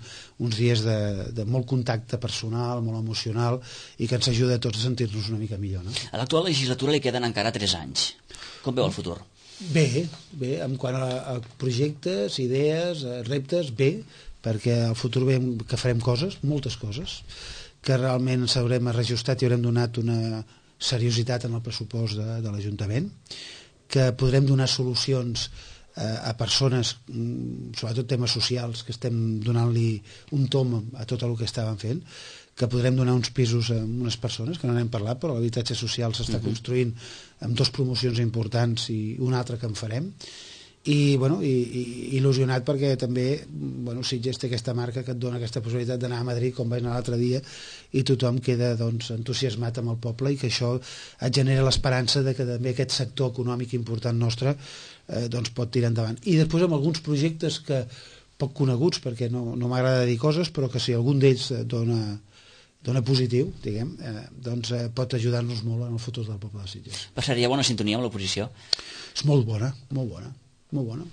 uns dies de molt contacte personal, molt emocional, i que ens ajuda a tots a sentir-nos una mica millor. No? A l'actual legislatura li queden encara 3 anys. Com veu el futur? Bé, en quant a projectes, idees, reptes, bé, perquè al futur veiem que farem coses, moltes coses, que realment s'haurem reajustat i haurem donat una seriositat en el pressupost de l'Ajuntament, que podrem donar solucions a persones, sobretot temes socials, que estem donant-li un tom a tot el que estàvem fent, que podrem donar uns pisos a unes persones, que no n'hem parlat, però l'habitatge social s'està construint amb 2 promocions importants i una altra que en farem, i il·lusionat perquè també Sitges té aquesta marca que et dona aquesta possibilitat d'anar a Madrid com vaig anar l'altre dia i tothom queda entusiasmat amb el poble i que això et genera l'esperança de que també aquest sector econòmic important nostre pot tirar endavant. I després amb alguns projectes que poc coneguts, perquè no m'agrada dir coses, però que si algun d'ells dona positiu, diguem, pot ajudar-nos molt en el futur del poble de Sitges. Passaria bona sintonia amb l'oposició? És molt bona, molt bona. Molt bona.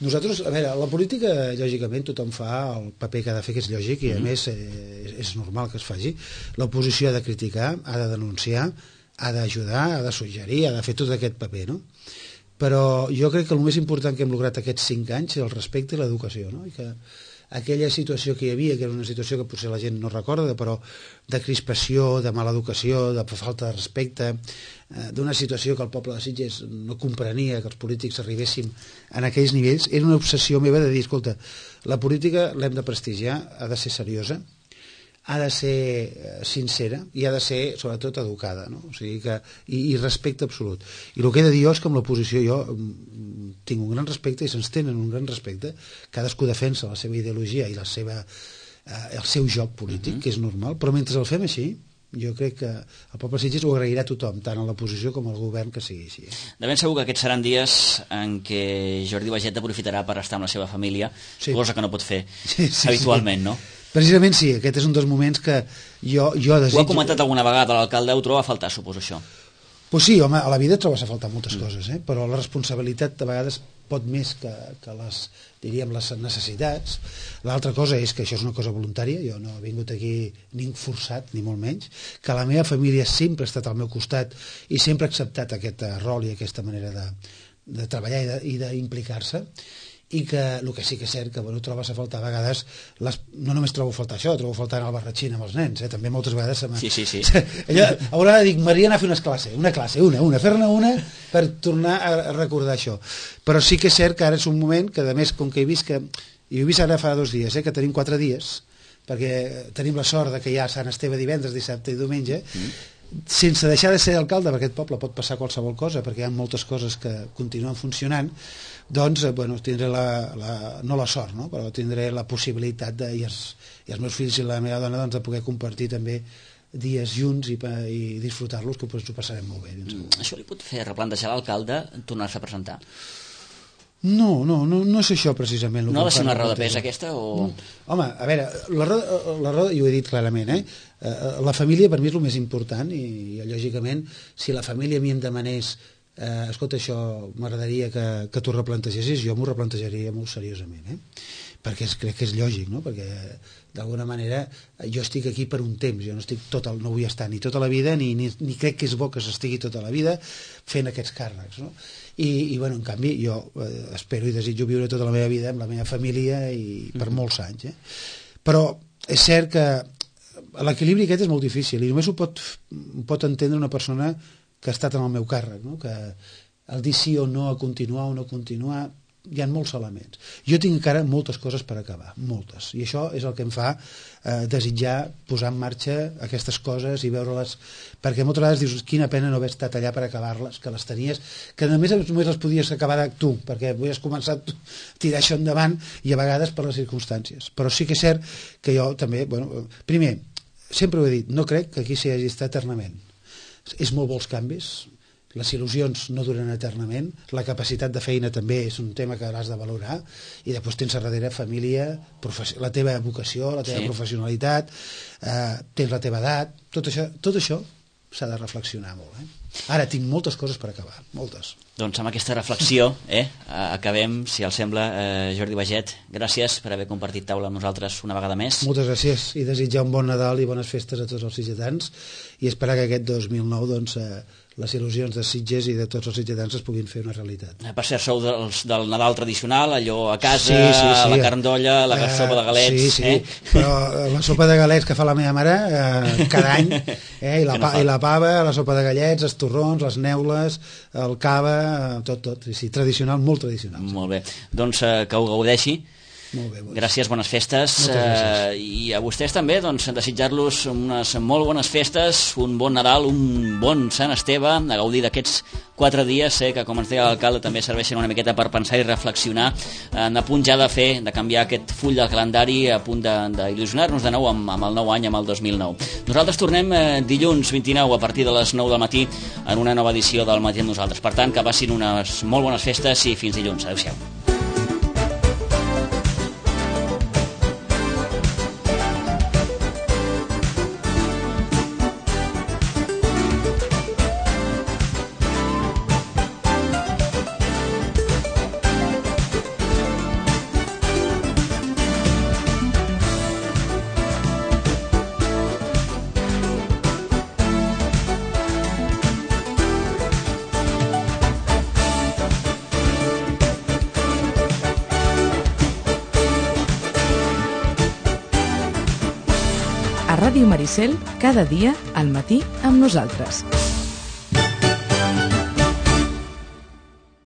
Nosaltres, a veure, la política, lògicament, tothom fa el paper que ha de fer, que és lògic, i a més és normal que es faci. L'oposició ha de criticar, ha de denunciar, ha d'ajudar, ha de suggerir, ha de fer tot aquest paper, no? Però jo crec que el més important que hem lograt aquests 5 anys és el respecte i l'educació, no? I que aquella situació que hi havia, que era una situació que potser la gent no recorda, però de crispació, de mala educació, de falta de respecte, d'una situació que el poble de Sitges no comprenia que els polítics arribéssim en aquells nivells, era una obsessió meva de dir, escolta, la política l'hem de prestigiar, ha de ser seriosa, ha de ser sincera i ha de ser, sobretot, educada, no? O sigui que, i respecte absolut. I el que he de dir jo és que amb l'oposició jo tinc un gran respecte i se'ns tenen un gran respecte, cadascú defensa la seva ideologia i el seu joc polític, que és normal, però mentre el fem així, jo crec que el poble de Sitges ho agrairà a tothom, tant a l'oposició com al govern, que sigui així. De ben segur que aquests seran dies en què Jordi Baiget aprofitarà per estar amb la seva família, cosa que no pot fer habitualment, no? Precisament sí, aquest és un dels moments que jo desitjo... Ho ha comentat alguna vegada l'alcalde, ho troba a faltar, suposo, això? Pues sí, home, a la vida trobes a faltar moltes coses, però la responsabilitat de vegades pot més que les necessitats. L'altra cosa és que això és una cosa voluntària, jo no he vingut aquí ni forçat, ni molt menys, que la meva família sempre ha estat al meu costat i sempre ha acceptat aquest rol i aquesta manera de treballar i d'implicar-se, i que el que sí que és cert que trobes a faltar a vegades, no només trobo a faltar això, trobo a faltar anar al barratxín amb els nens, també moltes vegades sí. Haurà de dir, Maria, anar a fer una classe, fer-ne una per tornar a recordar això, però sí que és cert que ara és un moment que, a més, com que he vist ara fa 2 dies, que tenim 4 dies, perquè tenim la sort que hi ha Sant Esteve divendres, dissabte i diumenge, sense deixar de ser alcalde, perquè aquest poble pot passar qualsevol cosa, perquè hi ha moltes coses que continuen funcionant, doncs, tindré no la sort, no? Però tindré la possibilitat i els meus fills i la meva dona de poder compartir també dies junts i disfrutar-los, que ho passarem molt bé. Això li pot fer replantejar l'alcalde tornar-se a presentar? No és això precisament. No ha de ser una roda de pes aquesta? O... Home, a veure, la roda, i ho he dit clarament, la família per mi és el més important i lògicament si la família a mi em demanés escolta, això m'agradaria que t'ho replantegessis, jo m'ho replantejaria molt seriosament, perquè crec que és lògic, no? Perquè d'alguna manera jo estic aquí per un temps, jo no vull estar ni tota la vida ni crec que és bo que s'estigui tota la vida fent aquests càrrecs, no? I en canvi jo espero i desitjo viure tota la meva vida amb la meva família i per molts anys, però és cert que l'equilibri aquest és molt difícil i només ho pot entendre una persona que ha estat en el meu càrrec, no? Que el dir sí o no a continuar o no continuar, hi ha molts elements. Jo tinc encara moltes coses per acabar, moltes, i això és el que em fa desitjar posar en marxa aquestes coses i veure-les, perquè moltes vegades dius quina pena no haver estat allà per acabar-les, que les tenies, que només les podies acabar tu, perquè havies començat a tirar això endavant i a vegades per les circumstàncies. Però sí que és cert que jo també, primer, sempre ho he dit, no crec que aquí s'hi hagi estat eternament. És molt bons canvis, les il·lusions no duren eternament, la capacitat de feina també és un tema que has de valorar, i després tens a darrere família, la teva vocació, la teva professionalitat, tens la teva edat, tot això s'ha de reflexionar molt. Ara tinc moltes coses per acabar, moltes. Doncs amb aquesta reflexió acabem, si els sembla. Jordi Baget, gràcies per haver compartit taula amb nosaltres una vegada més. Moltes gràcies, i desitjar un bon Nadal i bones festes a tots els sitgetans, i esperar que aquest 2009 doncs, les il·lusions de Sitges i de tots els sitgetans es puguin fer una realitat. Per cert, sou del Nadal tradicional, allò a casa, sí. La carn d'olla, la sopa de galets... Sí, però la sopa de galets que fa la meva mare cada any, i la pava, la sopa de gallets, els torrons, les neules, el cava, tot. Sí, tradicional, molt tradicional. Molt bé, doncs que ho gaudeixi. Molt bé, gràcies, bones festes. I a vostès també, doncs, desitjar-los unes molt bones festes, un bon Nadal, un bon Sant Esteve, a gaudir d'aquests 4 dies, que, com ens deia l'alcalde, també serveixen una miqueta per pensar i reflexionar, a punt ja de canviar aquest full del calendari, a punt d'il·lusionar-nos de nou amb el nou any, amb el 2009. Nosaltres tornem dilluns 29 a partir de les 9 del matí en una nova edició del Matí amb nosaltres. Per tant, que passin unes molt bones festes i fins dilluns. Adéu-siau. Ràdio Maricel, cada dia al matí amb nosaltres.